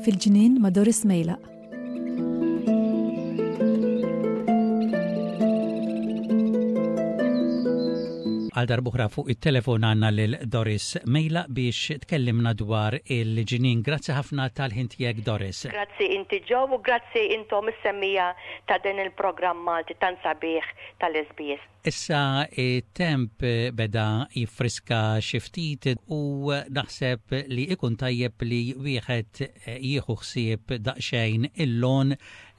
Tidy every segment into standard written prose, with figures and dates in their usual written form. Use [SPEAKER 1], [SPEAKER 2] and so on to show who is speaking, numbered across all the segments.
[SPEAKER 1] Fil-ġnien ma' Doris Mejlaq.
[SPEAKER 2] Għal darbuħra fuq it-telefon għanna lil Doris Mejla biex tkellimna dwar il-ġnien. Grazzi ħafna tal-ħin tiegħek Doris.
[SPEAKER 3] Grazzi inti Joe u grazzi intom is-semmija ta' din il-programm Malti tant sabiħ tal-SBS.
[SPEAKER 2] Issa t-temp beda jiffriska xi ftit u naħseb li ikun tajjeb li wieħed jieħu ħsieb daqsxejn il-lawn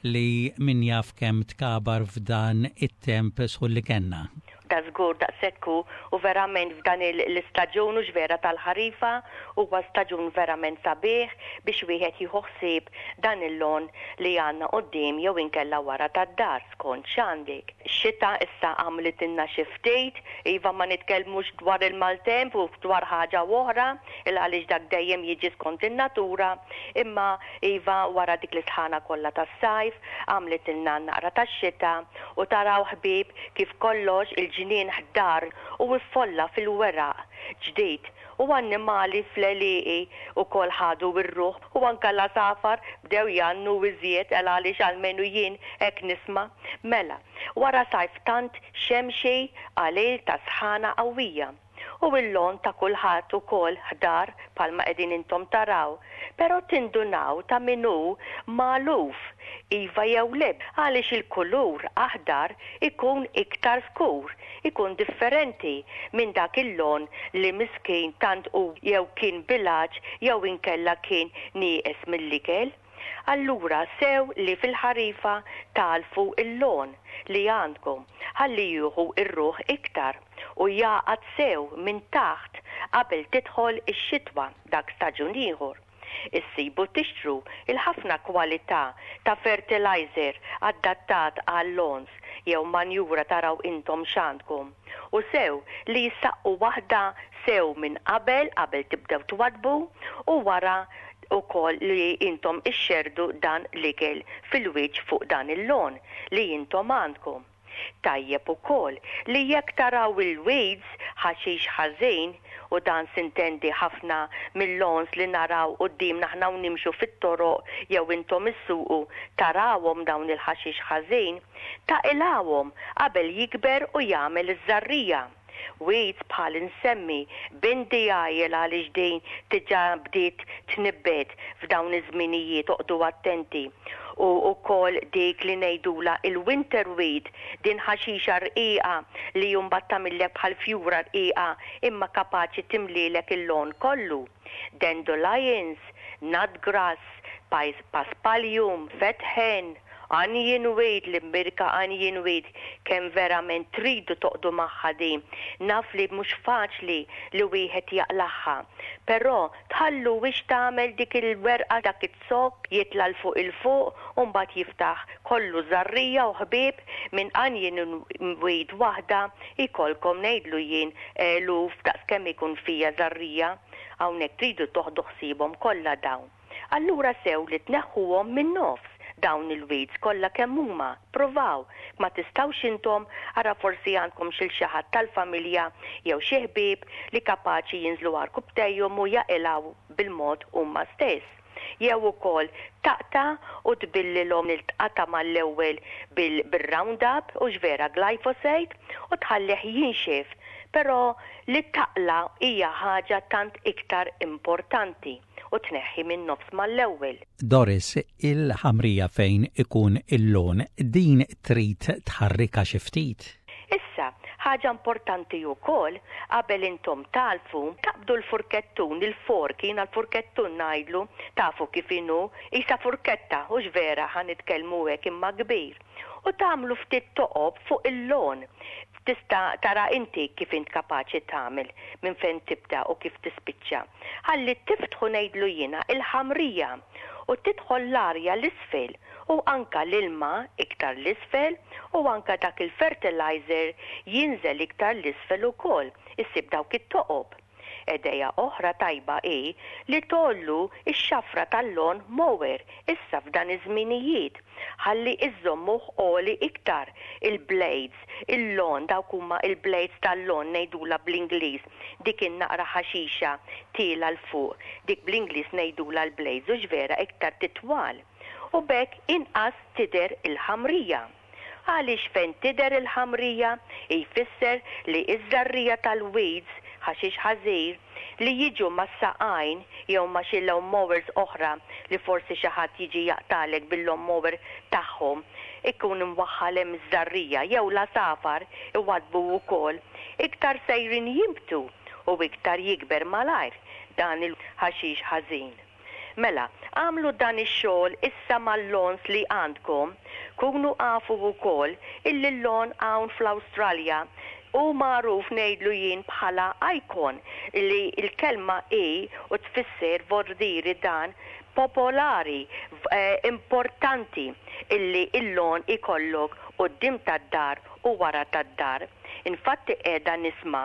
[SPEAKER 2] li min jaf kemm tkabar f'dan it-temp sħun li kellna.
[SPEAKER 3] Da żgur daqshekk hu u verament f'dan l-istaġun hux vera tal-ħarifa huwa staġun verament sabiħ biex wieħed jieħu ħsieb dan il-lawn li għandna quddiem jew inkella wara tad-dar skont x'għandek. Xita issa għamlitilna xi ftit, iva ma nitkellmux dwar il-maltemp u dwar ħaġa u oħra, il għaliex dak dejjem jiġi skont in-natura, imma iva wara dik l-isħana kollha tas-sajf għamlitilna naqra tax-xita u taraw ħbieb kif kollox il-ġnien ħdar u ffolla fil-weraq ġdid u annimali fl-għelieqi wkoll ħadu r-ruħ u anke l-għasafar bdew jgħannu iżjed el għaliex almenu jien hekk nisma'. Mela, wara sajf tant xemxi qalil ta' sħana qawwija. U l-lon ta' kulħadd ukoll ħdar bħalma qegħdin intom taraw. Però tindunaw ta' min hu magħluf, iva jew le, għaliex il-kulur aħdar ikun iktar skur, ikun differenti minn dak il-lon li miskin tant hu jew kien bil-għatx jew inkella kien nieqes mill-ikel. Allura sew li fil-ħarifa tagħlfu l-lon li għandkom ħalli jieħu r-ruħ iktar u jagħqad sew minn taħt qabel tidħol ix-xitwa dak staġun ieħor. Issibu tixtru l-ħafna kwalità ta' fertilizer adattat għal-lons jew manjura taraw intom x'għandkom u sew li jissaqqu waħda sew minn qabel qabel tibdew twaddbu u wara ukoll li intom ixxerrdu dan l-ikel fil-wiċċ fuq dan il-lawn li intom għandkom. Tajjeb ukoll li jekk taraw il-weeds, ħaxix ħażin, u dan sintendi ħafna mil-lawns li naraw quddiemna aħna u nimxu fit-toroq jew intom issuqu tarawhom dawn il-ħaxix ħażin, taqilgħuhom qabel jikber u jagħmel iż-żarrija. Weeds bħal insemmi bindi għajel għaliex din diġà bdiet tnibbet f'dawn iż-żminijiet oqgħdu attenti u wkoll dik li ngħidulha il-winter weed din ħaxixa rqiqa li mbagħad tagħmillek bħal fjura rqiqa imma kapaċi timlielek il-lawn kollu. Dandelions, nutgrass, paspalium, fetħen, onion weed, l-imbierka onion weed, kemm verament tridu toqgħdu magħha din. Naf li mhux faċli li wieħed jaqlagħha. Però tħalluhiex tagħmel dik il-werqa dak iz-zokk jitla' 'l fuq 'il fuq u mbagħad jiftaħ kollu żarrija u ħbieb minn onion weed waħda jkollkom ngħidlu jien eluf daqs kemm ikun fiha żarrija. Hawnhekk tridu toħdu ħsiebhom kollha dawn. Allura sew li tneħħuhom min-nofs dawn il-weeds kollha kemm huma, pruvaw, ma tistgħux intom, ara forsi għandkom xil xi ħadd tal-familja jew xi ħbieb li kapaċi jinżlu għarkupptejhom u jaqilgħu bil-mod huma stess. Jew ukoll taqta' u tbillilhom il-tqata' mal-ewwel bil-roundup, hux vera glyphosate, u tħallih jinxef. Però li taqla' hija ħaġa tant iktar importanti u tneħħi min-nofs mal-ewwel.
[SPEAKER 2] Doris, il-ħamrija fejn ikun il-lawn, din trid tħarrikha xi ftit?
[SPEAKER 3] Issa, ħaġa importanti wkoll, qabel intom tagħlfu, taqbdu l-furkettun, il-fork, jiena l-furkettun ngħidlu, tafu kif inhu, qisha furketta, hux vera ħa nitkellmu hekk imma kbir, u tagħmlu ftit toqob fuq il-lawn. Tista' tara inti kif int kapaċi tagħmel, minn fejn tibda u kif tispiċċa. Ħalli tiftħu ngħidlu jiena il-ħamrija u tidħol l-arja 'l isfel u anka l-ilma iktar 'l isfel u anka dak il-fertilizer jinżel iktar 'l isfel ukoll, issib dawk it-toqob. Idea oħra tajba hi li tgħollu x-xafra tal-lawn mower issa f'dan iż-żminijiet ħalli iżżommuh għoli iktar, il-blades, il-lawn, dawk huma il-blades tal-lawn ngħidulha bl-Ingliż, dik in-naqra ħaxixa tielgħa 'l fuq, dik bl-Ingliż ngħidulha l-blades hux vera iktar titwal u b'hekk inqas tidher il-ħamrija. Għaliex fejn tidher il-ħamrija jfisser li ż-żarrija tal-weeds, ħaxix ħażir, li jiġu mas-saqajn jew ma' xi lawn mowers oħra li forsi xi ħadd jiġi jaqtagħlek bil-lawn mower tagħhom ikun imwaħħal hemm iż-żarrija jew l-għasafar iwaddbu wkoll, iktar sejrin jinbtu u iktar jikber malajr dan il-ħaxix ħażin. Mela, agħmlu dan ix-xogħol issa mal-lawns li għandkom. Kunu afu wkoll illi l-lawn hawn fl-Awstralja hu magħruf ngħidlu jien bħala icon li l-kelma hi u tfisser vordiri dan popolari, importanti illi l-lawn ikollok quddiem tad-dar u wara tad-dar. Infatti qiegħda nisma'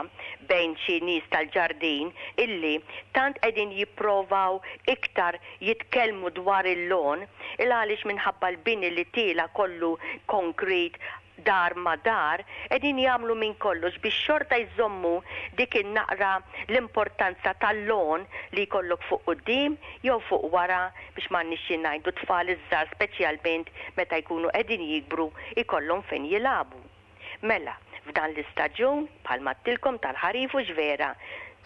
[SPEAKER 3] bejn xi nies tal-ġardin illi tant qegħdin jipprovaw iktar jitkellmu dwar il-lawn il għaliex minħabba l-bini li tiela' kollu concrete dar ma' dar qegħdin jagħmlu minn kollox biex xorta jżommu dik in-naqra l-importanza tal-lawn li jkollok fuq quddiem jew fuq wara biex m'għandniex xi ngħidu t-tfal iż-żgħar speċjalment meta jkunu qegħdin jikbru jkollhom fejn jilagħbu. Mela, f'dan l-istaġun, bħalma għedtilkom tal-ħarif hux vera,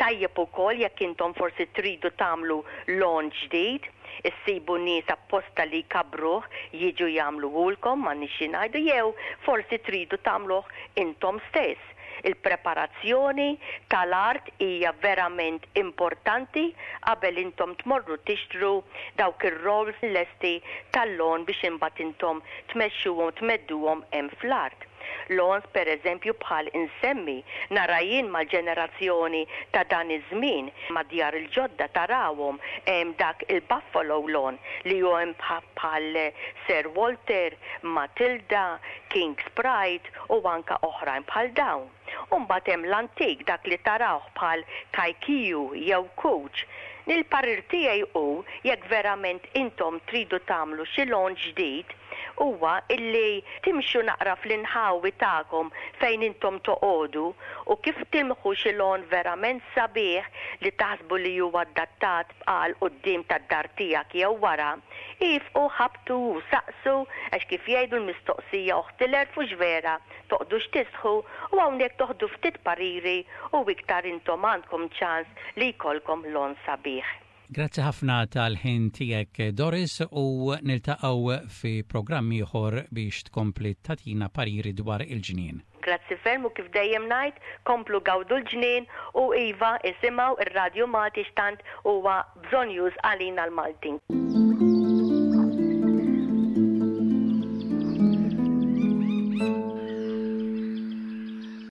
[SPEAKER 3] tajjeb ukoll jekk intom forsi tridu tagħmlu lawn ġdid, issibu nies apposta li jkabbruh jiġu jagħmluhulkom, m'għandniex xi ngħidu, jew forsi tridu tagħmluh intom stess. Il-preparazzjoni tal-art hija verament importanti qabel intom tmorru tixtru dawk ir-rolls lesti tal-lawn biex imbagħad intom tmexxuhom tmedduhom hemm fl-art. Lawns per eżempju bħal insemmi, nara jien mal-ġenerazzjoni ta' dan iż-żmien, mad-djar il-ġodda tarawhom hemm dak il-buffalo lawn li hu hemm bħal Sir Walter, Matilda, King's Pride, u anke oħrajn bħal dawn. U mbagħad hemm l-antik, dak li tarawh bħal kajkiju jew kuċ. Il-parir tiegħi hu jekk verament intom tridu tagħmlu xi launch ġdid, huwa illi timxu naqra fl-inħawi tagħkom fejn intom toqogħdu u kif tilmħu xi lawn verament sabiħ li taħsbu li huwa adattat għal quddiem tad-dar tiegħek jew wara, iefqu ħabbtu u saqsu għax kif jgħidu l-mistoqsija oħt il-għerf hux vera, toqgħdux tistħu u hawnhekk toħdu ftit pariri u iktar intom għandkom ċans li jkollkom lawn sabiħ.
[SPEAKER 2] Grazzi ħafna tal-ħin tiegħek Doris u niltaqgħu fi programm ieħor biex tkompli tagħtina pariri dwar il-ġnien.
[SPEAKER 3] Grazzi ferm u kif dejjem ngħid, komplu gawdu l-ġnien u iva isimgħu r-Radju Malti x'tant huwa bżonnjuż għalina l-Maltin.